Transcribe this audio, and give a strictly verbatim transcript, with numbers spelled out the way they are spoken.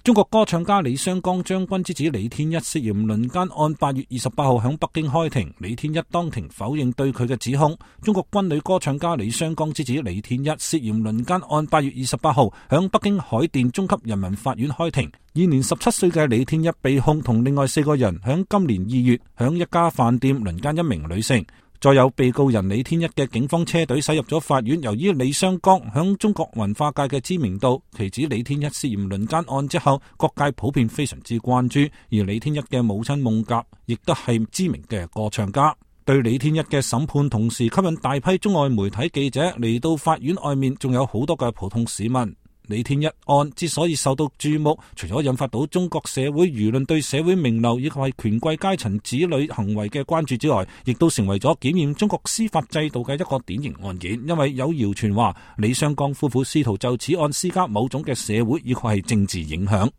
中國歌唱家李雙江將軍之子李天一涉嫌輪姦案八月二十八號響北京開庭，李天一當庭否認對佢嘅指控。中國軍女歌唱家李雙江之子李天一涉嫌輪姦案八月二十八號響北京海淀中級人民法院開庭。現年十七歲嘅李天一被控同另外四個人響今年二月響一家飯店輪姦一名女性。再有被告人李天一嘅警方車隊駛入咗法院，由於李雙江響中國文化界嘅知名度，其指李天一涉嫌輪姦案之後，各界普遍非常之關注。而李天一嘅母親孟甲亦都係知名嘅歌唱家。對李天一嘅審判同時吸引大批中外媒體記者嚟到法院外面，仲有好多嘅普通市民。李天一案之所以受到注目，除咗引發到中國社會輿論對社會名流以及係權貴階層子女行為嘅關注之外，亦都成為咗檢驗中國司法制度嘅一個典型案件。因為有謠傳話李雙江夫婦試圖就此案施加某種嘅社會以及係政治影響。